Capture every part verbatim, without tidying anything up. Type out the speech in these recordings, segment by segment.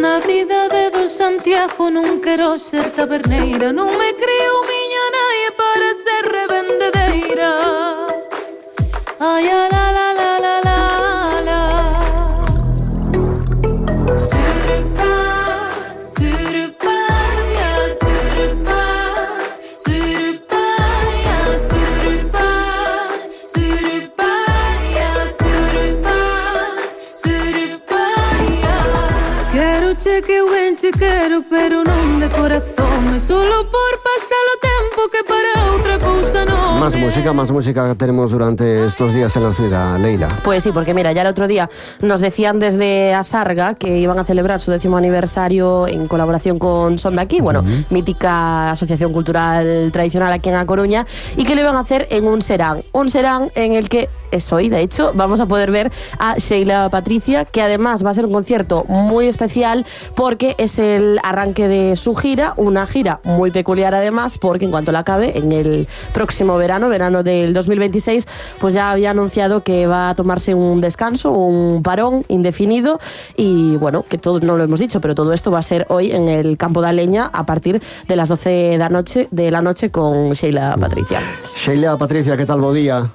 Na cidade do Santiago non quero ser taberneira, non me creo miña naie para ser revendedeira. Ai, a la la la la la la. Surupa, surupa, ya surupa, surupa, ya surupa, surupa, ya surupa, surupa, ya. Quero che que eu ben che quero, pero non de corazón, é solo por pasar o tempo que para outra cousa non. Más música, más música tenemos durante estos días en la ciudad, Leila. Pues sí, porque mira, ya el otro día nos decían desde Asarga que iban a celebrar su décimo aniversario en colaboración con Son de Aquí, bueno, uh-huh. mítica asociación cultural tradicional aquí en A Coruña, y que lo iban a hacer en un serán, un serán en el que es hoy, de hecho, vamos a poder ver a Sheila Patricia, que además va a ser un concierto muy especial porque es el arranque de su gira, una gira muy peculiar además, porque en cuanto la acabe, en el próximo verano, verano del dos mil veintiséis, pues ya había anunciado que va a tomarse un descanso, un parón indefinido, y bueno, que todo no lo hemos dicho, pero todo esto va a ser hoy en el Campo da Leña a partir de las doce de la noche, de la noche con Sheila Patricia. Sheila Patricia, ¿qué tal? Bo día.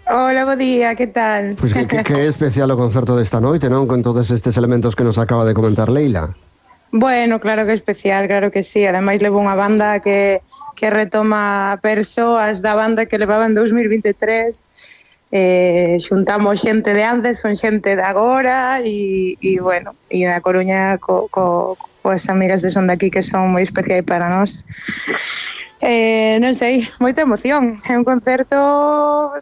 Hola, bo día, que tal? Pois que, que, que especial o concerto desta noite, non? Con todos estes elementos que nos acaba de comentar Leila. Bueno, claro que é especial, claro que sí. Ademais levo unha banda que, que retoma persoas da banda que levaba en dos mil veintitrés. Eh, xuntamos xente de antes con xente de agora e, e bueno, e da Coruña co, co, coas amigas de Son de Aquí que son moi especiais para nós. Eh, non sei, moita emoción. É un concerto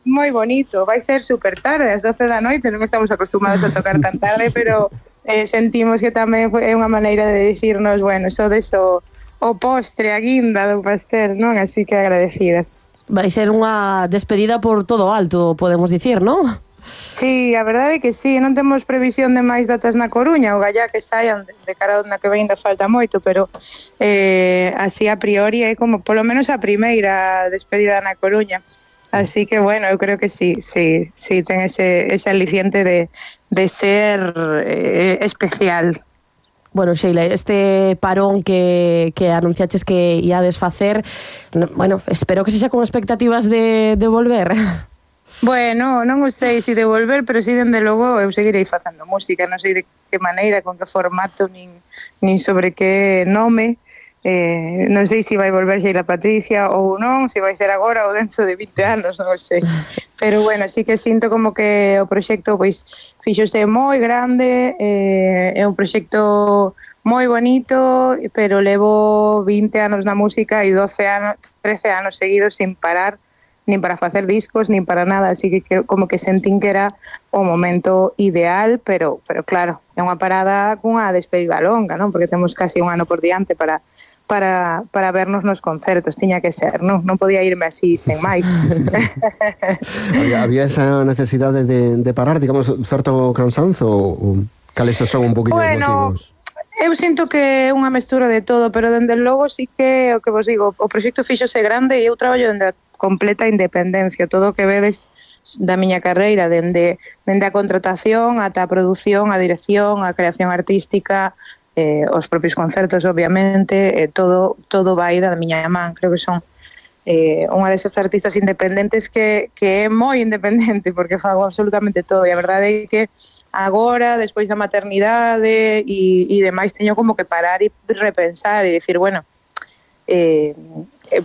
moi bonito. Vai ser super tarde, ás doce da noite. Non estamos acostumados a tocar tan tarde, pero eh, sentimos que tamén é unha maneira de dicirnos, bueno, so deso o postre, a guinda do pastel, non? Así que agradecidas. Vai ser unha despedida por todo alto, podemos dicir, non? Sí, a verdade é que sí, non temos previsión de máis datas na Coruña, o gallá que saian de, de cara na que ven ainda falta moito, pero eh, así a priori é como polo menos a primeira despedida na Coruña. Así que bueno, eu creo que sí, sí, sí ten ese, ese aliciente de, de ser eh, especial. Bueno, Sheila, este parón que, que anunciaches que iades facer, bueno, espero que sexa con expectativas de, de volver. Bueno, non o sei se devolver, pero si dende logo eu seguirei facendo música, non sei de que maneira, con que formato, nin, nin sobre que nome, eh, non sei se vai volver Sheila Patricia ou non, se vai ser agora ou dentro de vinte anos, non o sei. Pero bueno, sí que sinto como que o proxecto pois fíxose moi grande, eh, é un proxecto moi bonito, pero levo vinte anos na música e doce anos, trece anos seguidos sin parar, nin para facer discos, nin para nada, así que, que como que sentín que era o momento ideal, pero pero claro, é unha parada cunha despedida longa, non? Porque temos casi un ano por diante para para para vernos nos concertos, tiña que ser, non? Non podía irme así, sen máis. había, había esa necesidade de, de parar, digamos, certo cansanzo, ou cales son un poquinho bueno, os motivos? Eu sinto que é unha mestura de todo, pero dende logo sí que, o que vos digo, o proxecto fíxose grande e eu traballo dende a completa independencia, todo o que vedes da miña carreira, dende, dende a contratación ata a produción, a dirección, a creación artística, eh, os propios concertos, obviamente, eh, todo, todo vai da miña man. Creo que son eh, unha desas artistas independentes que, que é moi independente, porque fago absolutamente todo, e a verdade é que agora, despois da maternidade e, e demais, teño como que parar e repensar e dicir, bueno, eh,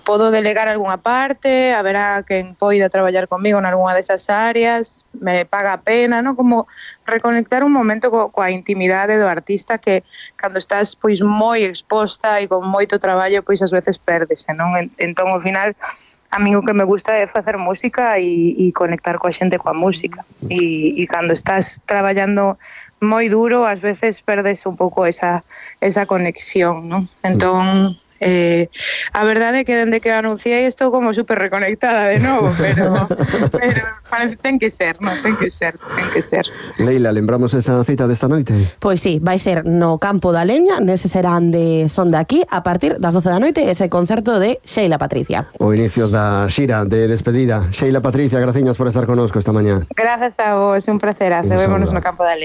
podo delegar algunha parte, haberá quen poida traballar comigo nalgúna desas áreas, me paga a pena, non? Como reconectar un momento co, coa intimidade do artista que cando estás pois moi exposta e con moito traballo, pois ás veces pérdese, non? Entón, ao final, a mí o que me gusta é facer música e, e conectar coa xente coa música. E, e cando estás traballando moi duro, ás veces perdes un pouco esa, esa conexión, non? Entón, eh, a verdade é que dende que anunciei estou como super reconectada de novo, pero, pero parece, ten que ser, non? Ten que ser, ten que ser. Leila, lembramos esa cita desta noite? Pois sí, vai ser no Campo da Leña, nese serán de Son de Aquí, a partir das doce da noite, ese concerto de Sheila Patricia. O inicio da xira de despedida. Sheila Patricia, graciñas por estar connosco esta mañá. Grazas a vos, un placerazo, vémonos no Campo da Leña.